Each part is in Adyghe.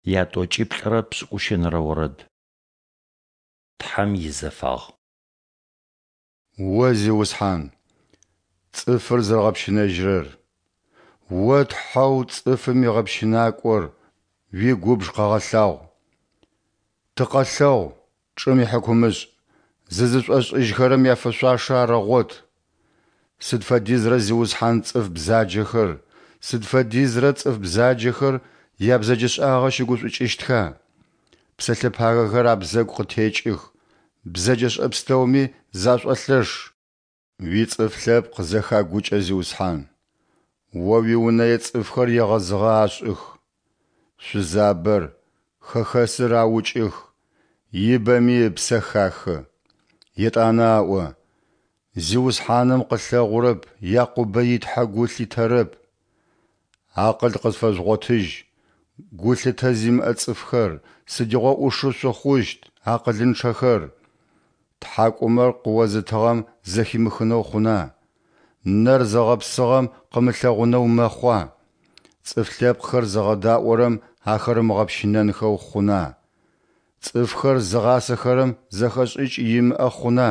Ятӏокӏиплӏырэ пшӏыкӏущэнэрэ орэд. Тхьэм изэфагъ. О Зиусхьан, цӏыфыр зэрэгъэпщынэжьырэр, О Тхьэу цӏыфым игъэпщынакӏор, уигубж къэгъэлъагъу. Тыкъэлъэгъу, чӏым ихьыкумышӏ, зызышӏошӏыжьхэрэм яфэшъуашэ арэгъот. Сыд фэдизрэ Зиусхьан цӏыф бзаджэхэр, сыд фэдизрэ цӏыф бзаджэхэр ябзэджэшӏагъэ щыгушӏукӏыщтха? Псэлъэ пагэхэр абзэгу къытекӏых, бзэджэшӏэ пстэуми зашӏолъэш. Уицӏыф лъэпкъ зэхагукӏэ, Зиусхьан, О уиунэе цӏыфхэр егъэзыгъэ ашӏых. Шъузабэр, хэхэсыр аукӏых, ибэми ыпсэ хахы. Етӏанэ аӏо, Зиусхьаным къылъэгъурэп, Якъубэ и Тхьэ гу лъитэрэп. Акъыл къызфэжъугъотыжь, гулъытэ зимыӏэ цӏыфхэр, сыдигъо ӏушы шъухъущт, акъылынчъэхэр? Тхьакӏумэр къыозытыгъэм зэхимыхынэу хъуна? Нэр зыгъэпсыгъэм къымылъэгъунэу мэхъуа? Цӏыф лъэпкъхэр зыгъэдаӏорэм ахэр ымыгъэпщынэнхэу хъуна? Цӏыфхэр зыгъасэхэрэм зэхэшӏыкӏ имыӏэ хъуна?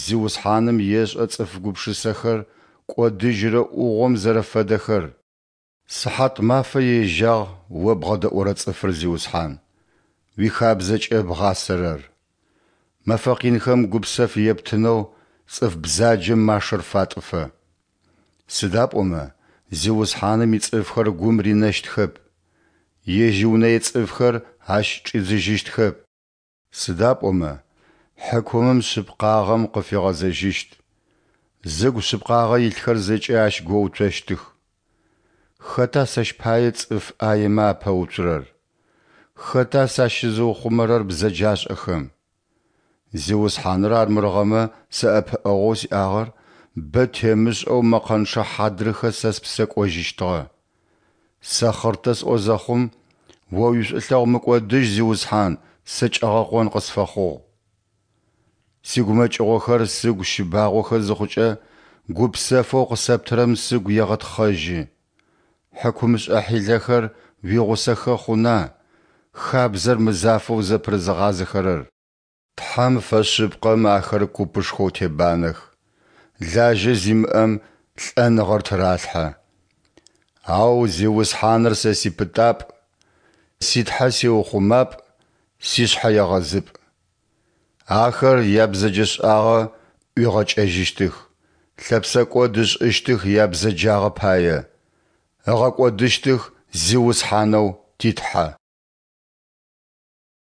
Зиусхьаным ешӏэ цӏыф гупшысэхэр кӏодыжьырэ ӏугъом зэрэфэдэхэр. Сыхьатмафэ ежьагъ О бгъэдэӏорэ цӏыфыр, Зиусхьан, уихабзэкӏэ бгъасэрэр. Мэфэ къинхэм гупсэф ептынэу цӏыф бзаджэм машэр фатӏыфэ. Сыда пӏомэ Зиусхьаным ицӏыфхэр гум ринэщтхэп, Ежь иунэе цӏыфхэр Ащ чӏидзыжьыщтхэп. Сыда пӏомэ хьыкумым шъыпкъагъэм къыфигъэзэжьыщт, зыгу шъыпкъагъэ илъхэр зэкӏэ ащ гоуцощтых. Хэта сэщ пае цӏыф ӏаемэ апэуцурэр? Хэта сащызыухъумэрэр бзэджашӏэхэм? Зиусхьаныр армырыгъэмэ сэ ӏэпыӏэгъоу сиӏагъэр, бэ темышӏэу мэкъэнчъэ хьадрыхэ сэ спсэ кӏожьыщтыгъэ. Сэ хъыртэ сӏо зэхъум, О уишӏулъэгъу мыкӏодыжь, Зиусхьан, сэ кӏэгъэкъон къысфэхъугъ. Сигумэкӏыгъохэр сыгу щыбагъохэ зыхъукӏэ, гупсэфэу къысэптырэм сыгу егъэтхъэжьы. Хьыкумышӏэ хьилэхэр уигъусэхэ хъуна, хабзэр мызафэу зэпырызыгъазэхэрэр? Тхьэм фэшъыпкъэм ахэр купышхоу тебанэх, лажьэ зимыӏэм лӏэныгъэр тыралъхьэ. Ау Зиусхьаныр сэ сипытапӏ, си Тхьэ сиухъумапӏ, сишъхьэегъэзыпӏ. Ахэр ябзэджэшӏагъэ ӏуигъэкӏэжьыщтых, лъэпсэкӏод ышӏыщтых ябзэджагъэ пае, ыгъэкӏодыщтых Зиусхьанэу ти Тхьэ.